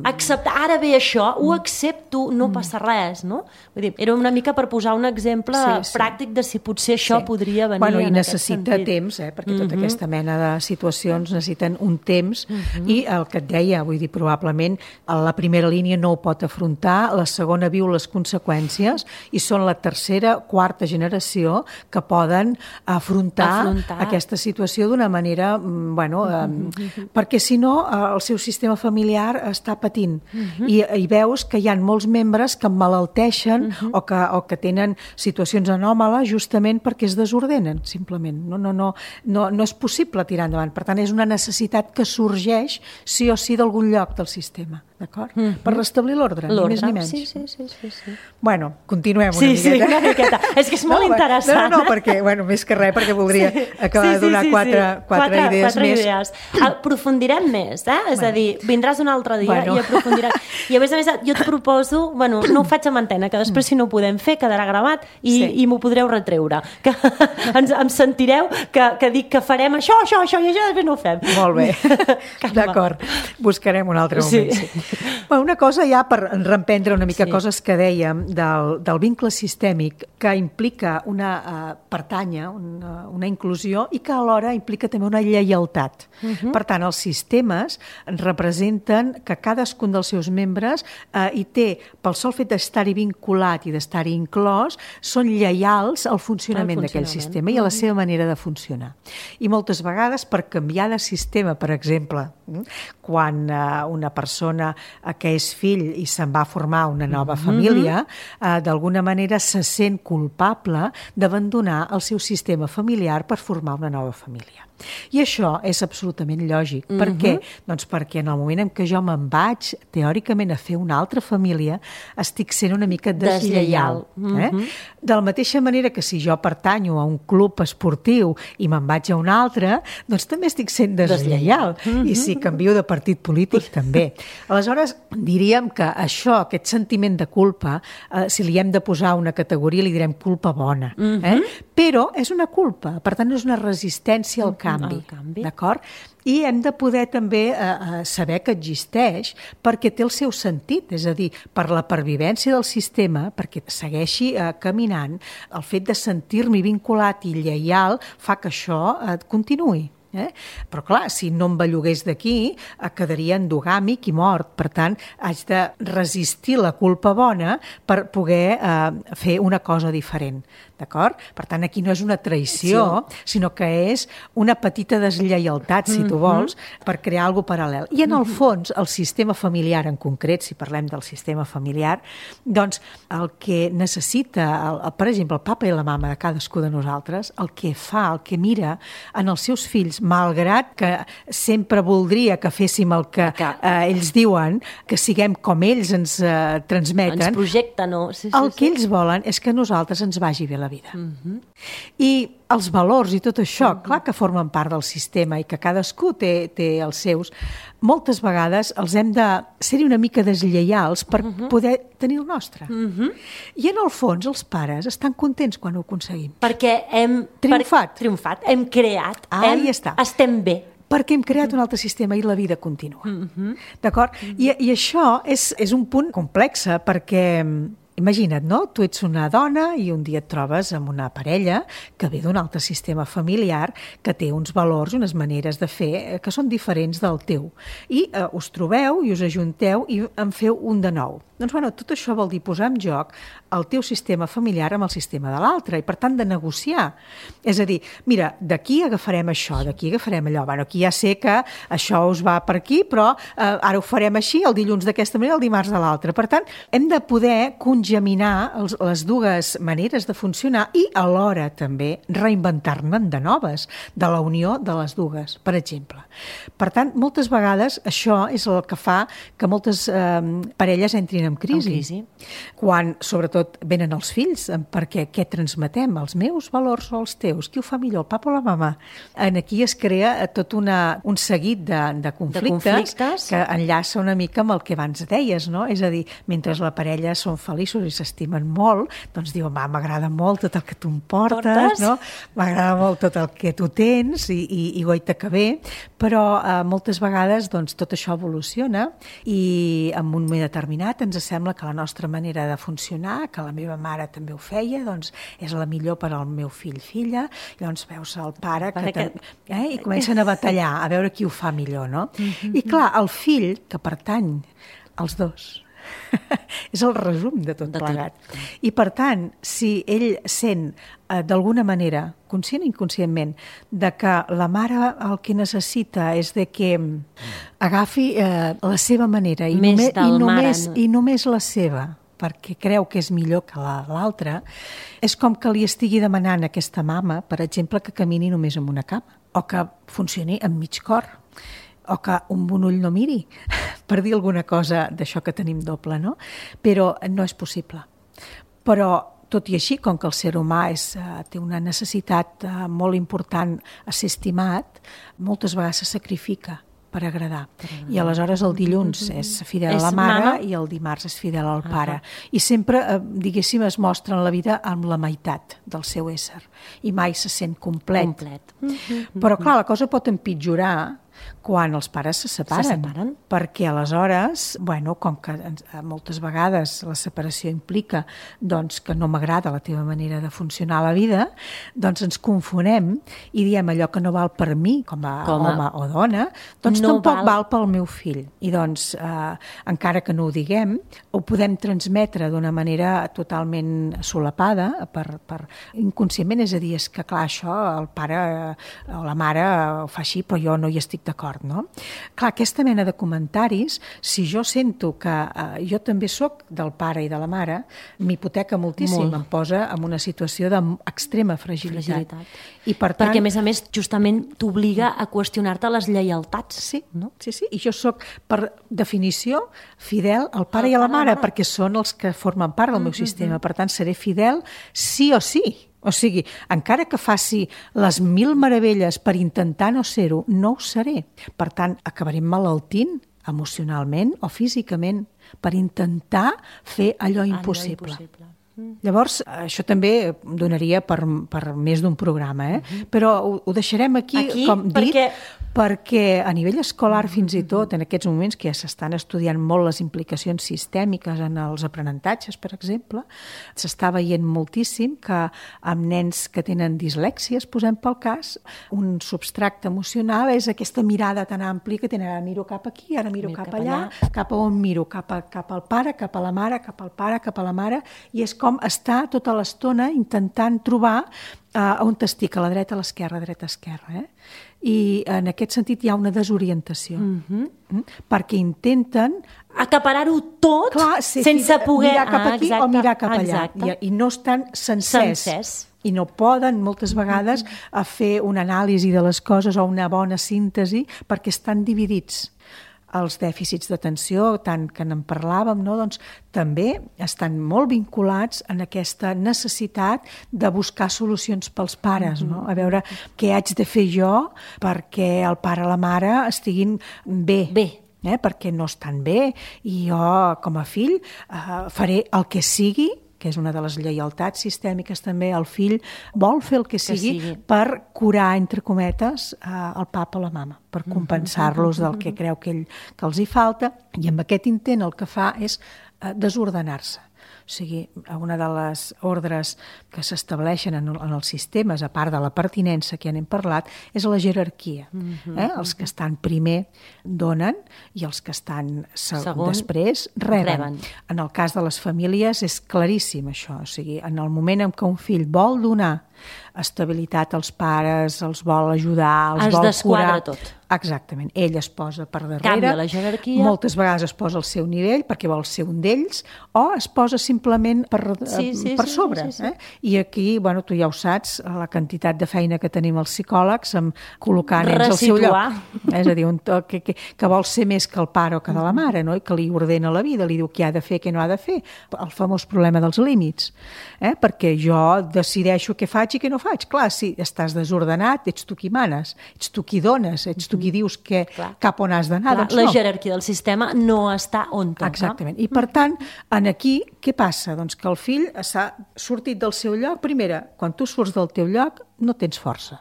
acceptar, ara ve això, ho accepto, no passa res, no? Vull dir, era una mica per posar un exemple pràctic de si potser això podria venir en aquest sentit. I necessita temps, perquè tota aquesta mena de situacions necessiten un temps i el que et deia, vull dir, probablement la primera línia no ho pot afrontar, la segona viu les conseqüències i són la tercera, quarta generació que poden afrontar aquesta situació d'una manera, perquè si no el seu sistema familiar està patint i veus que hi ha molts membres que emmalalteixen o que tenen situacions anòmales justament perquè es desordenen, simplement. No és possible tirar endavant. Per tant, és una necessitat que sorgeix sí o sí d'algun lloc del sistema. d'acord? Per restablir l'ordre, ni més ni menys. Sí. Bueno, continuem una miqueta. Sí, una miqueta. És que és molt interessant. No, perquè, més que res, perquè voldria acabar de donar quatre idees més. Aprofundirem més, És a dir, vindràs un altre dia i aprofundirem. I a més, jo et proposo, no ho faig amb antena, que després si no ho podem fer quedarà gravat i m'ho podreu retreure. Que em sentireu que dic que farem això i això, després no ho fem. Molt bé, d'acord. Buscarem un altre moment. Una cosa ja per reemprendre una mica coses que dèiem del vincle sistèmic que implica una pertànyer, una inclusió i que alhora implica també una lleialtat. Per tant, els sistemes representen que cadascun dels seus membres hi té, pel sol fet d'estar-hi vinculat i d'estar-hi inclòs, són lleials al funcionament d'aquell sistema i a la seva manera de funcionar. I moltes vegades, per canviar de sistema, per exemple, quan una persona que és fill i se'n va formar una nova família, d'alguna manera se sent culpable d'abandonar el seu sistema familiar per formar una nova família. I això és absolutament lògic. Per què? Doncs perquè en el moment en què jo me'n vaig, teòricament, a fer una altra família, estic sent una mica deslleial. De la mateixa manera que si jo pertanyo a un club esportiu i me'n vaig a un altre, doncs també estic sent deslleial. I si canvio de partit polític, també. Aleshores, diríem que això, aquest sentiment de culpa, si li hem de posar una categoria, li direm culpa bona. Però és una culpa, per tant, és una resistència al canvi. D'acord? I hem de poder també saber que existeix perquè té el seu sentit, és a dir, per la pervivència del sistema, perquè segueixi caminant, el fet de sentir-m'hi vinculat i lleial fa que això continuï. Però clar, si no em bellugués d'aquí, quedaria endogàmic i mort. Per tant, haig de resistir la culpa bona per poder fer una cosa diferent. D'acord? Per tant, aquí no és una traïció, sinó que és una petita deslleialtat, si tu vols, per crear alguna cosa paral·lel. I en el fons, el sistema familiar en concret, si parlem del sistema familiar, doncs el que necessita, per exemple, el papa i la mama de cadascú de nosaltres, el que fa, el que mira en els seus fills, malgrat que sempre voldria que féssim el que ells diuen, que siguem com ells ens transmeten, ens projecten, no? El que ells volen és que a nosaltres ens vagi bé la vida. I els valors i tot això, clar que formen part del sistema i que cadascú té els seus, moltes vegades els hem de ser-hi una mica deslleials per poder tenir el nostre. I en el fons els pares estan contents quan ho aconseguim. Perquè hem triomfat, hem creat, estem bé. Perquè hem creat un altre sistema i la vida continua. D'acord? I això és un punt complex perquè imagina't, no? Tu ets una dona i un dia et trobes amb una parella que ve d'un altre sistema familiar que té uns valors, unes maneres de fer que són diferents del teu. I us trobeu i us ajunteu i en feu un de nou. Doncs, tot això vol dir posar en joc el teu sistema familiar amb el sistema de l'altre i, per tant, de negociar. És a dir, mira, d'aquí agafarem això, d'aquí agafarem allò. Aquí ja sé que això us va per aquí, però ara ho farem així, el dilluns d'aquesta manera, el dimarts de l'altra. Per tant, hem de poder congeminar les dues maneres de funcionar i, alhora, també reinventar-ne de noves, de la unió de les dues, per exemple. Per tant, moltes vegades això és el que fa que moltes parelles entrin en crisi. Quan, sobretot, venen els fills, perquè què transmetem? Els meus valors o els teus? Qui ho fa millor, el papa o la mama? Aquí es crea tot un seguit de conflictes que enllaça una mica amb el que abans deies, no? És a dir, mentre la parella són feliços i s'estimen molt, doncs diu, m'agrada molt tot el que tu em portes, no? M'agrada molt tot el que tu tens i goita que bé, però moltes vegades doncs, tot això evoluciona i en un moment determinat ens sembla que la nostra manera de funcionar, que la meva mare també ho feia, doncs és la millor per al meu fill-filla. Llavors veus el pare i comencen a batallar, a veure qui ho fa millor, no? I clar, el fill, que pertany als dos, és el resum de tot plegat. I per tant, si ell sent d'alguna manera, conscient o inconscientment, de que la mare el que necessita és de que agafi la seva manera i només la seva, perquè creu que és millor que l'altra, és com que li estigui demanant a aquesta mama, per exemple, que camini només amb una cama, o que funcioni amb mig cor, o que un bon ull no miri, per dir alguna cosa d'això que tenim doble, no? Però no és possible. Però, tot i així, com que el ser humà té una necessitat molt important a ser estimat, moltes vegades se sacrifica per agradar. I aleshores el dilluns és fidel a la mare i el dimarts és fidel al pare. I sempre, diguéssim, es mostra en la vida amb la meitat del seu ésser i mai se sent complet. Però clar, la cosa pot empitjorar quan els pares se separen. Perquè aleshores, com que moltes vegades la separació implica que no m'agrada la teva manera de funcionar a la vida, doncs ens confonem i diem allò que no val per mi com a home o dona, doncs no tampoc val pel meu fill. I doncs, encara que no ho diguem, ho podem transmetre d'una manera totalment solapada, inconscientment, és a dir, és que clar, això el pare o la mare ho fa així, però jo no hi estic d'acord, no? Clar, aquesta mena de comentaris, si jo sento que jo també sóc del pare i de la mare, m'hipoteca moltíssim, em posa en una situació d'extrema fragilitat. I per tant, perquè, a més, justament t'obliga a qüestionar-te les lleialtats. Sí, i jo sóc, per definició, fidel al pare i a la mare, perquè són els que formen part del meu sistema. Per tant, seré fidel sí o sí. O sigui, encara que faci les 1000 meravelles per intentar no ser-ho, no ho seré. Per tant, acabaré malaltint emocionalment o físicament per intentar fer allò impossible. Llavors, això també donaria per més d'un programa, però ho deixarem aquí com dit, perquè a nivell escolar fins i tot, en aquests moments que ja s'estan estudiant molt les implicacions sistèmiques en els aprenentatges, per exemple, s'està veient moltíssim que amb nens que tenen dislèxies, posem pel cas, un substrat emocional és aquesta mirada tan àmplia que tenen, ara miro cap aquí, ara miro cap allà, cap a on miro, cap al pare, cap a la mare, cap al pare, cap a la mare, i és com està tota l'estona intentant trobar on estic, a la dreta, a l'esquerra, dreta, esquerra. I en aquest sentit hi ha una desorientació. Perquè intenten acaparar-ho tot sense poder mirar cap aquí o mirar cap allà. I no estan sencers. I no poden, moltes vegades, fer una anàlisi de les coses o una bona síntesi perquè estan dividits. Els dèficits d'atenció, tant que en parlàvem, doncs també estan molt vinculats en aquesta necessitat de buscar solucions pels pares, no? A veure què haig de fer jo perquè el pare o la mare estiguin bé. Perquè no estan bé i jo, com a fill, faré el que sigui, que és una de les lleialtats sistèmiques també, el fill vol fer el que sigui per curar, entre cometes, el papa o la mama, per compensar-los del que creu que els hi falta, i amb aquest intent el que fa és desordenar-se. O sigui, una de les ordres que s'estableixen en els sistemes, a part de la pertinença que ja n'hem parlat, és la jerarquia. Els que estan primer donen i els que estan després reben. En el cas de les famílies és claríssim això. O sigui, en el moment en què un fill vol donar estabilitat als pares, els vol ajudar, els vol curar... Es desquadra tot. Exactament. Ell es posa per darrere. Canvia la jerarquia. Moltes vegades es posa al seu nivell perquè vol ser un d'ells, o es posa simplement per sobre. I aquí, tu ja ho saps, la quantitat de feina que tenim els psicòlegs amb col·locar nens al seu lloc. És a dir, que vol ser més que el pare o que de la mare, no? I que li ordena la vida, li diu què ha de fer, què no ha de fer. El famós problema dels límits. Perquè jo decideixo què faig i què no faig. Clar, si estàs desordenat, ets tu qui manes, ets tu qui dones, ets tu qui dius cap on has d'anar. La jerarquia del sistema no està on toca. Exactament. I per tant, aquí què passa? Doncs que el fill s'ha sortit del seu lloc. Primera, quan tu surts del teu lloc no tens força.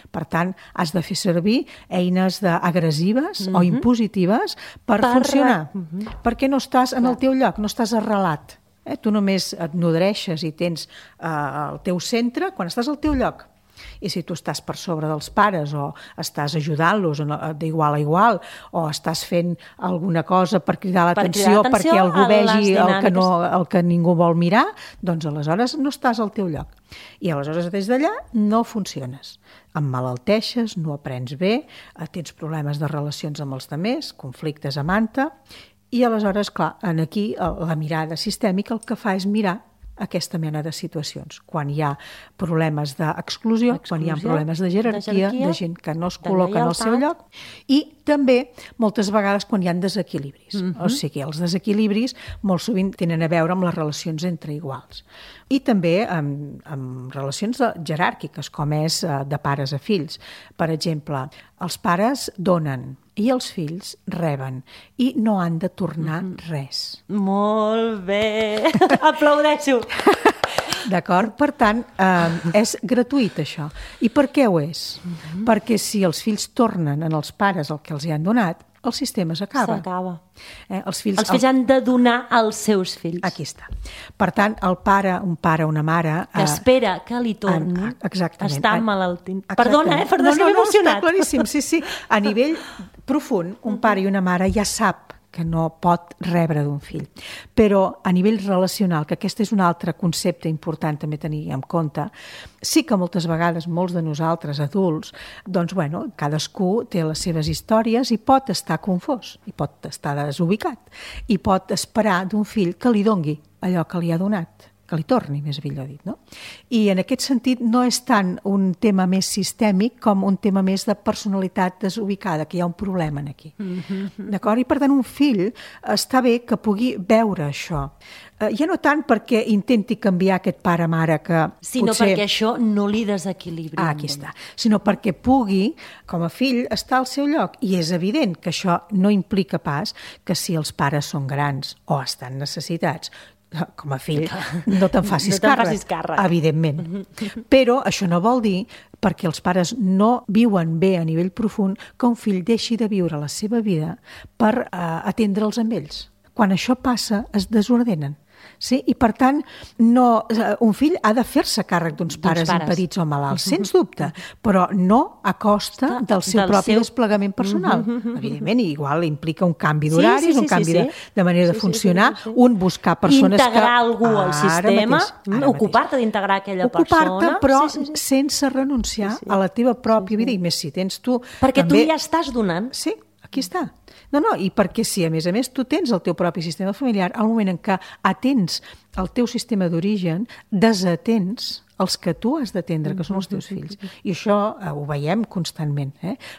Per tant, has de fer servir eines agressives o impositives per funcionar. Perquè no estàs en el teu lloc, no estàs arrelat. Tu només et nodreixes i tens el teu centre quan estàs al teu lloc. I si tu estàs per sobre dels pares o estàs ajudant-los d'igual a igual o estàs fent alguna cosa per cridar l'atenció perquè algú vegi el que ningú vol mirar, doncs aleshores no estàs al teu lloc. I aleshores des d'allà no funciones. Emmalalteixes, no aprens bé, tens problemes de relacions amb els altres, conflictes a manta, i aleshores, clar, aquí la mirada sistèmica el que fa és mirar aquesta mena de situacions. Quan hi ha problemes d'exclusió, quan hi ha problemes de jerarquia, de gent que no es col·loca en el seu lloc, i també moltes vegades quan hi ha desequilibris. O sigui, els desequilibris molt sovint tenen a veure amb les relacions entre iguals. I també amb relacions jeràrquiques, com és de pares a fills. Per exemple, els pares donen i els fills reben i no han de tornar res. Molt bé! Aplaudeixo! D'acord? Per tant, és gratuït això. I per què ho és? Perquè si els fills tornen en els pares el que els hi han donat, el sistema s'acaba. S'acaba. Els fills han de donar als seus fills. Aquí està. Per tant, un pare, una mare... Que espera que li torni. Exactament. Està malaltint. Perdona, perdona, si m'he emocionat. Està claríssim, sí. A nivell profund, un pare i una mare ja sap que no pot rebre d'un fill. Però a nivell relacional, que aquest és un altre concepte important també tenir en compte, sí que moltes vegades molts de nosaltres adults, doncs bueno, cadascú té les seves històries i pot estar confós, i pot estar desubicat, i pot esperar d'un fill que li dongui allò que li ha donat, que li torni, més millor dit, no? I en aquest sentit no és tant un tema més sistèmic com un tema més de personalitat desubicada, que hi ha un problema aquí. D'acord? I per tant un fill està bé que pugui veure això. Ja no tant perquè intenti canviar aquest pare-mare que sinó potser... perquè això no li desequilibri. Aquí està. Sinó perquè pugui, com a fill, estar al seu lloc. I és evident que això no implica pas que si els pares són grans o estan necessitats, com a fill, no te'n facis càrrec, evidentment. Però això no vol dir, perquè els pares no viuen bé a nivell profund, que un fill deixi de viure la seva vida per atendre'ls amb ells. Quan això passa, es desordenen. Sí? I per tant, un fill ha de fer-se càrrec d'uns pares impedits o malalts, sens dubte, però no a costa del seu propi desplegament personal. Evidentment, igual implica un canvi d'horaris, un canvi de manera de funcionar, un buscar persones que... Integrar algú al sistema, ocupar-te d'integrar aquella persona... Ocupar-te, però sense renunciar a la teva pròpia vida, i més si tens tu... Perquè tu ja estàs donant. Sí, aquí està. No, i perquè si a més tu tens el teu propi sistema familiar, al moment en què atens el teu sistema d'origen, desatens els que tu has d'atendre, que són els teus fills. I això ho veiem constantment.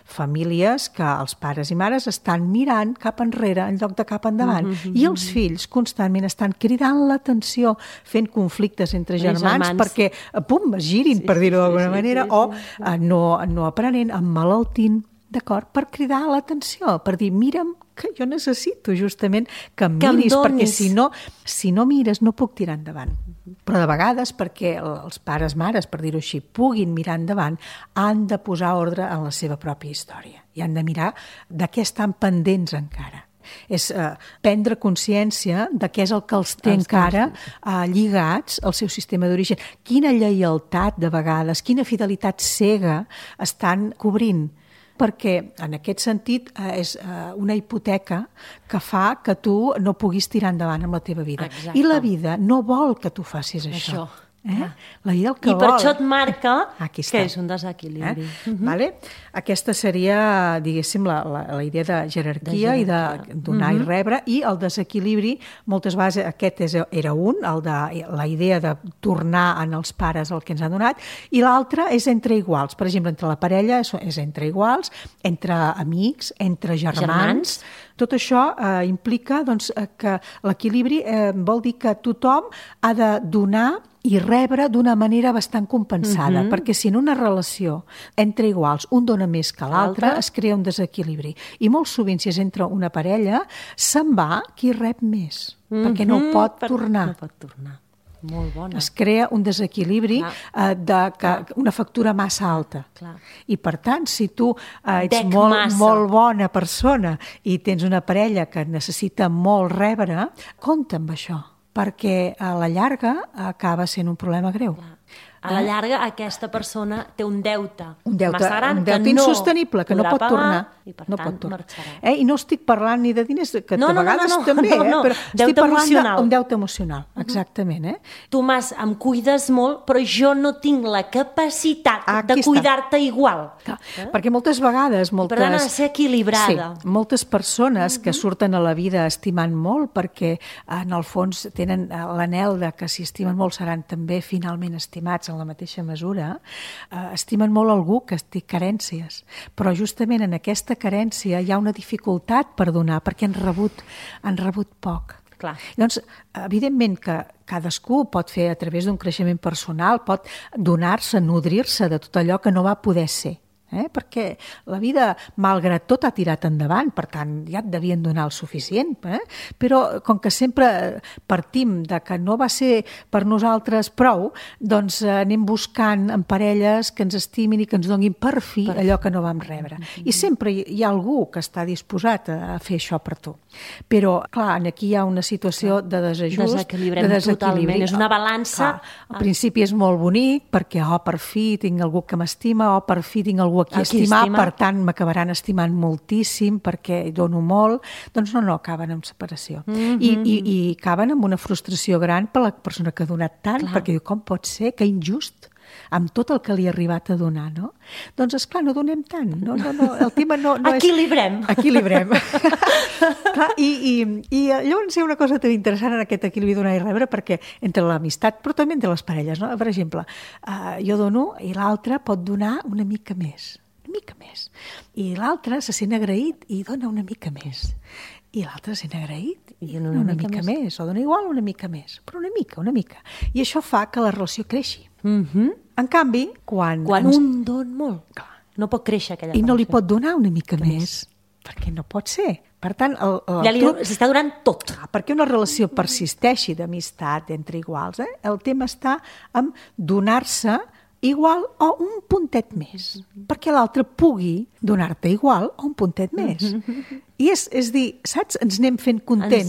Famílies que els pares i mares estan mirant cap enrere en lloc de cap endavant. I els fills constantment estan cridant l'atenció, fent conflictes entre germans perquè, pum, es girin, per dir-ho d'alguna manera, o no aprenent, emmalaltint, d'acord, per cridar l'atenció, per dir, mira'm que jo necessito justament que em miris, perquè si no mires no puc tirar endavant. Però de vegades, perquè els pares, mares, per dir-ho així, puguin mirar endavant, han de posar ordre en la seva pròpia història i han de mirar de què estan pendents encara. És prendre consciència de què és el que els té encara lligats al seu sistema d'origen. Quina lleialtat, de vegades, quina fidelitat cega estan cobrint, perquè en aquest sentit és una hipoteca que fa que tu no puguis tirar endavant amb la teva vida. Exacte. I la vida no vol que tu facis això. La vida el que vol. I per això et marca que és un desequilibri. Vale? Aquesta seria, diguéssim, la idea de jerarquia i de donar i rebre, i el desequilibri, moltes vegades aquest era la idea de tornar en els pares el que ens han donat, i l'altre és entre iguals. Per exemple, entre la parella és entre iguals, entre amics, entre germans. Tot això implica que l'equilibri vol dir que tothom ha de donar i rebre d'una manera bastant compensada, perquè si en una relació entre iguals un dona més que l'altre, es crea un desequilibri. I molt sovint, si és entre una parella, se'n va qui rep més, perquè no pot tornar. No pot tornar. Molt bona. Es crea un desequilibri, una factura massa alta. Clar. I per tant, si tu ets molt bona persona i tens una parella que necessita molt rebre, compta amb això, perquè a la llarga acaba sent un problema greu. A la llarga, aquesta persona té un deute massa gran, un deute insostenible, que no pot tornar. I, per no tant, pot tornar. marxarà. I no estic parlant ni de diners, que de vegades també, però estic parlant d'un deute emocional, exactament. Tomàs, em cuides molt, però jo no tinc la capacitat de cuidar-te igual. Perquè moltes vegades... Per tant, ha de ser equilibrada. Sí, moltes persones que surten a la vida estimant molt, perquè en el fons tenen l'anhel de que si estimen molt seran també finalment estimats en la mateixa mesura, estimen molt algú que té carències. Però justament en aquesta carència hi ha una dificultat per donar, perquè han rebut poc. Clar. Doncs, evidentment que cadascú pot fer a través d'un creixement personal, pot donar-se, nodrir-se de tot allò que no va poder ser. Perquè la vida, malgrat tot, ha tirat endavant, per tant, ja et devien donar el suficient. Però, com que sempre partim de que no va ser per nosaltres prou, doncs anem buscant en parelles que ens estimin i que ens donin per fi allò que no vam rebre. I sempre hi ha algú que està disposat a fer això per tu. Però, clar, aquí hi ha una situació de desajust, de desequilibri. És una balança. Al principi és molt bonic, perquè, per fi tinc algú que m'estima, per fi tinc algú a qui estimar, per tant m'acabaran estimant moltíssim perquè dono molt, doncs no, acaben amb separació. I acaben amb una frustració gran per la persona que ha donat tant, perquè diu, com pot ser, que injust, amb tot el que li ha arribat a donar, no? Doncs, esclar, no donem tant. No, el tema no és... Equilibrem. Clar, i llavors hi ha una cosa tan interessant en aquest equilibri donar i rebre, perquè entre l'amistat, però també entre les parelles, no? Per exemple, jo dono i l'altre pot donar una mica més. I l'altre se sent agraït i dona una mica més. I l'altre se sent agraït i dona una mica més. O dona igual una mica més, però una mica. I això fa que la relació creixi. En canvi, quan un don molt, no pot créixer aquella relació. I no li pot donar una mica més, perquè no pot ser. Per tant, s'està donant tot. Perquè una relació persisteixi d'amistat entre iguals, el tema està en donar-se igual o un puntet més, perquè l'altre pugui donar-te igual o un puntet més. I és dir, saps? Ens anem fent contents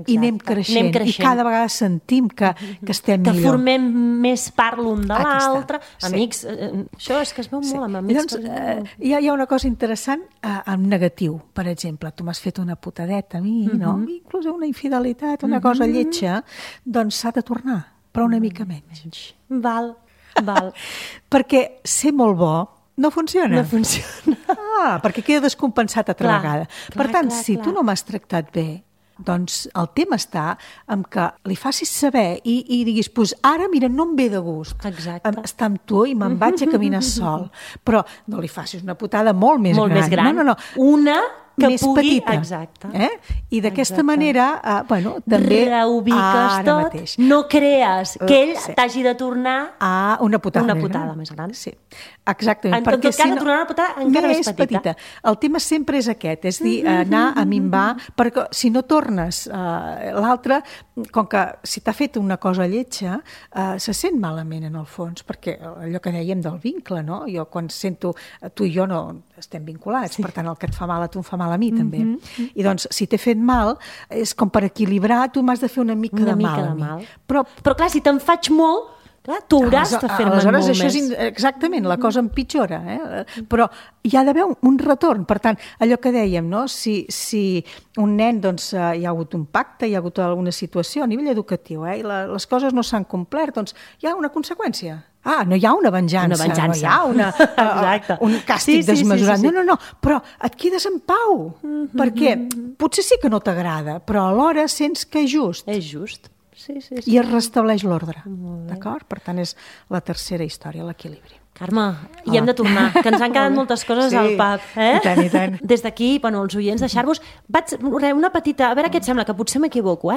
i anem creixent. I cada vegada sentim que estem millor. Que formem més part l'un de l'altre. Amics, això és que es veu molt amb amics. Llavors, hi ha una cosa interessant en negatiu. Per exemple, tu m'has fet una putadeta a mi, no? Inclús una infidelitat, una cosa lletja, doncs s'ha de tornar, però una mica menys. Val. Perquè ser molt bo no funciona. Perquè queda descompensat altra vegada. Per tant, si tu no m'has tractat bé, doncs el tema està en que li facis saber i diguis, doncs ara, mira, no em ve de gust estar amb tu i me'n vaig a caminar sol. Però no li facis una putada molt més gran. No. Una que més pugui... petita. Exacte. I d'aquesta manera, també... Reubiques tot, mateix. No crees que ell t'hagi de tornar a una putada més gran. Sí, exactament. En tot cas, de tornar una putada encara més petita. El tema sempre és aquest, és dir, anar a minvar, perquè si no tornes l'altre, com que si t'ha fet una cosa lletja, se sent malament en el fons, perquè allò que dèiem del vincle, no? Jo quan sento, tu i jo no estem vinculats, per tant el que et fa mal a tu em fa mal a mi també. I doncs si t'he fet mal, és com per equilibrar, tu m'has de fer una mica de mal a mi. Però clar, si te'n faig molt, tu hauràs de fer-me molt més. Exactament, la cosa empitjora. Però hi ha d'haver un retorn. Per tant, allò que dèiem, no? Si un nen hi ha hagut un pacte, hi ha hagut alguna situació a nivell educatiu, i les coses no s'han complert, doncs hi ha una conseqüència. No hi ha una venjança. No hi ha un càstig desmesurat. No, però et quedes en pau. Perquè potser sí que no t'agrada, però alhora sents que és just. És just. Sí. I es restableix l'ordre. D'acord? Per tant, és la tercera història, l'equilibri. Carme, hi hem de tornar, que ens han quedat moltes coses al pap. I tant. Des d'aquí, els oients, deixar-vos... Una petita... A veure què et sembla, que potser m'equivoco,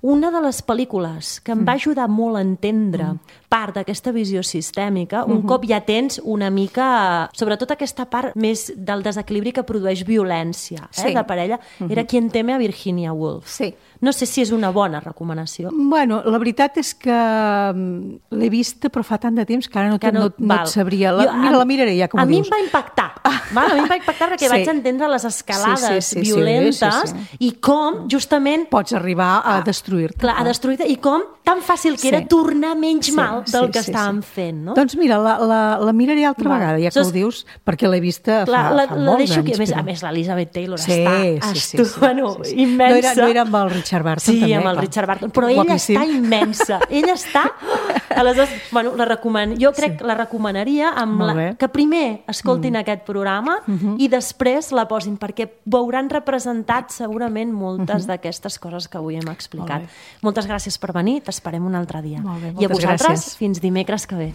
Una de les pel·lícules que em va ajudar molt a entendre part d'aquesta visió sistèmica, un cop ja tens una mica... Sobretot aquesta part més del desequilibri que produeix violència de parella, era Quien teme a Virginia Woolf. Sí. No sé si és una bona recomanació. Bueno, la veritat és que l'he vista, però fa tant de temps que ara no et sabria. La miraré ja, com ho dius. A mi em va impactar. A mi em va impactar perquè vaig entendre les escalades violentes i com, justament... Pots arribar a destruir-te. Clar, a destruir-te, i com tan fàcil que era tornar menys mal del que estàvem fent, no? Doncs mira, la miraré altra vegada, ja que ho dius, perquè l'he vista fa molts anys. A més, l'Elizabeth Taylor està immensa. No era amb el Richard Burton, també. Sí, amb el Richard Burton, però ella està immensa. Ella està... Aleshores, jo crec que la recomanaria que primer escoltin aquest programa i després la posin, perquè veuran representat segurament moltes d'aquestes coses que avui hem explicat. Moltes gràcies per venir, t'esperem un altre dia. Molt bé, i a vosaltres, gràcies. fins dimecres que ve.